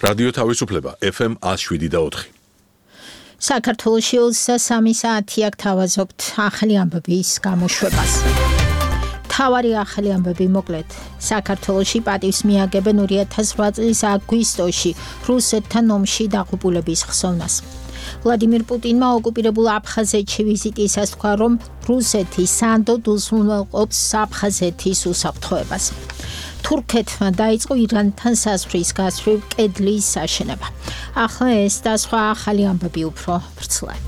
რადიო თავისუფლება FM 107.4. საქართველოში 23 საათი აქ თავაზობთ ახალი ამბების გამოშვებას. თავარი ახალი ამბები მოკლედ. საქართველოში პატივს მიაგებენ 2008 წლის აგვისტოში რუსეთთან ომში დაღუპულების ხსოვნას. ვლადიმირ პუტინმა ოკუპირებულ აფხაზეთში ვიზიტისას თქვა, რომ რუსეთი სანდოდ უზრუნველყოფს აფხაზეთის უსაფრთხოებას. თურქეთმა დაიწყო ირანთან საზღვრის გასწვრივ კედლის აშენება. ახლა ეს და სხვა ახალი ამბები უფრო ვრცლად.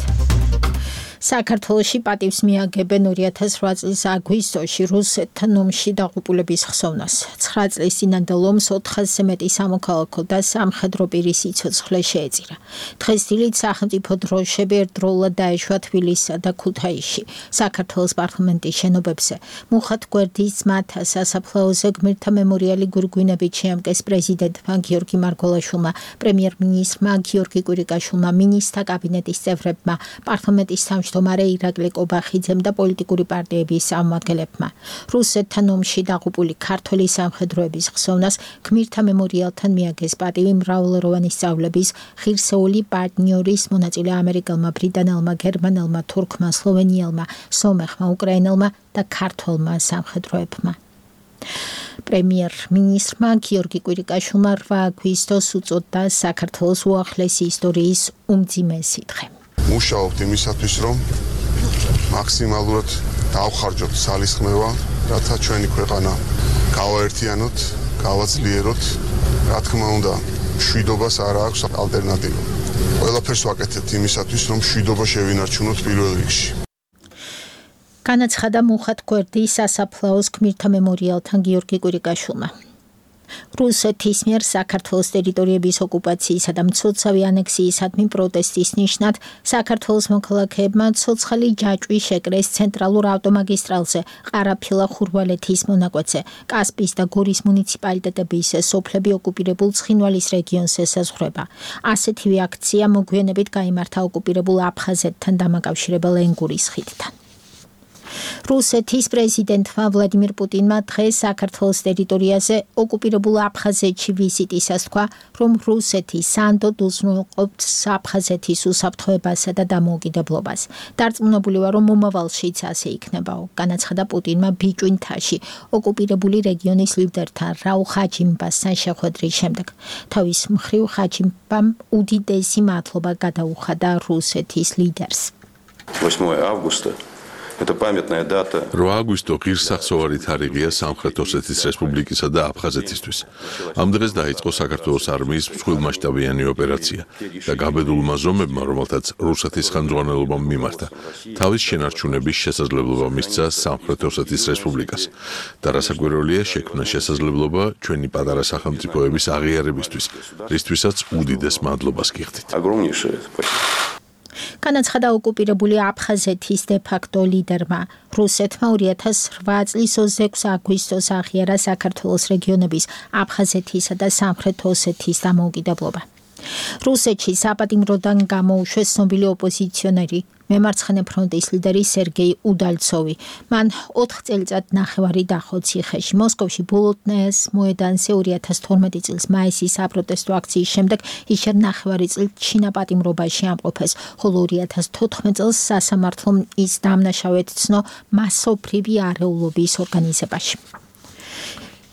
საქართველოში პატივს მიაგებენ 2008 წლის აგვისტოში რუსეთთან ომში დაღუპულების ხსოვნას. 9 წლის წინანდელ ომს 400-ზე მეტი სამოქალაქო და სამხედრო პირის სიცოცხლე შეეწირა. დღეს დილით სახელმწიფო დროშები ერთდროულად დაეშვა თბილისსა და ქუთაისში, საქართველოს პარლამენტის შენობებზე. მუხად გვერდის ძმათა სასაფლაოზე გმირთა მემორიალი გურგვინებით შეამკეს პრეზიდენტმა გიორგი მარგველაშვილმა, პრემიერ-მინისტრმა გიორგი კვირიკაშვილმა, მინისტრთა კაბინეტის წევრებმა, პარლამენტის თავმჯდომარე ირაკლი კობახიძემ და პოლიტიკური პარტიების წარმომადგენლებმა. რუსეთთან ომში დაღუპული ქართველი სამხედროების ხსოვნას გმირთა მემორიალთან მიაგეს პატივი მრავალროვანი სწავლების, ღირსეული პარტნიორის მონაწილე ამერიკელმა, ბრიტანელმა, გერმანელმა, თურქმა, სლოვენიელმა, სომეხმა, უკრაინელმა და ქართველმა სამხედროებმა. პრემიერ-მინისტრმა გიორგი კვირიკაშვილმა 8 აგვისტოს უწოდა საქართველოს უახლესი ისტორიის უმძიმესი დღე. მუშაობთ იმისათვის, რომ მაქსიმალურად დავხარჯოთ ძალისხმევა, რათა ჩვენი ქვეყანა გავაერთიანოთ, გავაძლიეროთ. რა თქმა უნდა, მშვიდობას არ აქვს ალტერნატივა. ყველაფერს ვაკეთებთ იმისათვის, რომ მშვიდობა შევინარჩუნოთ პირველ რიგში. განაცხადა მუხად გვერდის სასაფლაოს გმირთა მემორიალთან გიორგი კვირიკაშვილმა. რუსეთის მიერ საქართველოს ტერიტორიების ოკუპაციისა და მცოცავი ანექსიისადმი პროტესტის ნიშნად საქართველოს მოქალაქეებმა ცოცხალი ჯაჭვი შეკრეს ცენტრალურ ავტომაგისტრალზე, ყარაფილა-ხურვალეთის მონაკვეთზე, კასპიის და გორის მუნიციპალიტეტების სოფლები ოკუპირებულ ცხინვალის რეგიონს ესაზღვრება. ასეთივე აქცია მოგვიანებით გაიმართა ოკუპირებულ აფხაზეთთან დამაკავშირებელ ენგურის ხიდთან. რუსეთის პრეზიდენტმა ვლადიმირ პუტინმა დღეს საქართველოს ტერიტორიაზე ოკუპირებულ აფხაზეთში ვიზიტისას თქვა, რომ რუსეთი სანდოდ უზრუნველყოფს აფხაზეთის უსაფრთხოებასა და დამოუკიდებლობას. დარწმუნებული ვარ, რომ მომავალშიც ასე იქნებაო, განაცხადა პუტინმა ბიჭვინთაში ოკუპირებული რეგიონის ლიდერთან რაულ ხაჯიმბასთან შეხვედრის შემდეგ. თავის მხრივ ხაჯიმბამ უდიდესი მადლობა გადაუხადა რუსეთის ლიდერს. 8 августа Это памятная дата. 8 აგვისტო ღირსახსოვარი თარიღია სამხრეთ ოსეთის რესპუბლიკისა და აფხაზეთისთვის. ამ დღეს დაიწყო საქართველოს არმიის მსხვილმასშტაბიანი ოპერაცია და გაბედულმა ზომებმა, რომელთაც რუსეთის ხელმძღვანელობამ მიმართა, თავის შენარჩუნების შესაძლებლობა მისცა სამხრეთ ოსეთის რესპუბლიკას. და რასაკვირველია, შექმნა შესაძლებლობა ჩვენი პატარა სახელმწიფოების აღიარებისთვის, რისთვისაც უდიდეს მადლობას გიხდით. განაცხადა ოკუპირებული აფხაზეთის დე-ფაქტო ლიდერმა. რუსეთმა 2008 წლის 26 აგვისტოს აღიარა საქართველოს რეგიონების აფხაზეთისა და სამხრეთ ოსეთის დამოუკიდებლობა. რუსეთში საპატიმროდან გამოუშვეს ცნობილი ოპოზიციონერი, მემარცხენე ფრონტის ლიდერი სერგეი უდალცოვი. მან 4 წელიწად ნახევარი დახო ციხეში. მოსკოვში ბოლოტნაიას მოედანზე 2012 წლის მაისის საპროტესტო აქციის შემდეგ ისე ნახევარი წელი ჩინაპატიმრობაში ამყოფეს, ხოლო 2014 წელს სასამართლომ ის დამნაშავედ ცნო მასობრივი არეულობის ორგანიზებაში.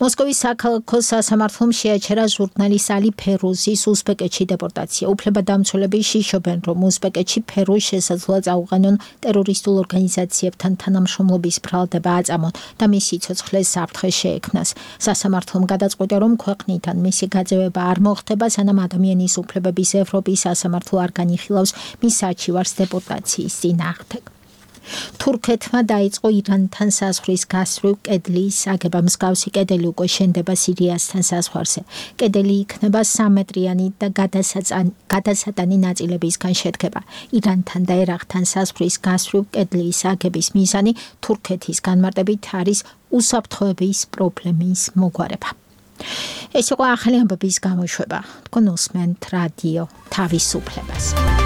მოსკოვის საქალაქო სასამართლომ შეაჩერა ჟურნალისტ ალი ფერუზის უზბეკეთში დეპორტაცია. უფლებადამცველები შიშობენ, რომ უზბეკეთში ფერუს შესაძლოა წაუყენონ ტერორისტულ ორგანიზაციებთან თანამშრომლობის ბრალდება აწამონ და მის სიცოცხლეს საფრთხე შეექმნას. სასამართლომ გადაწყვიტა, რომ ქვეყნიდან მისი გაძევება არ მოხდება, სანამ ადამიანის უფლებების ევროპის სასამართლო არ განიხილავს მის არჩივარს დეპორტაციის წინააღმდეგ. თურქეთმა დაიწყო ირანთან საზღვრის გასწვრივ კედლის აგება. მსგავსი კედელი უკვე შენდება სირიასთან საზღვარზე. კედელი იქნება 3 მეტრიანი და გადასატანი ნაწილებისგან შედგება. ირანთან და ერაყთან საზღვრის გასწვრივ კედლის აგების მიზანი თურქეთის განმარტებით არის უსაფრთხოების პრობლემის მოგვარება. ეს იყო ახალი ამბების გამოშვება. თქვენ უსმენთ რადიო თავისუფლებას.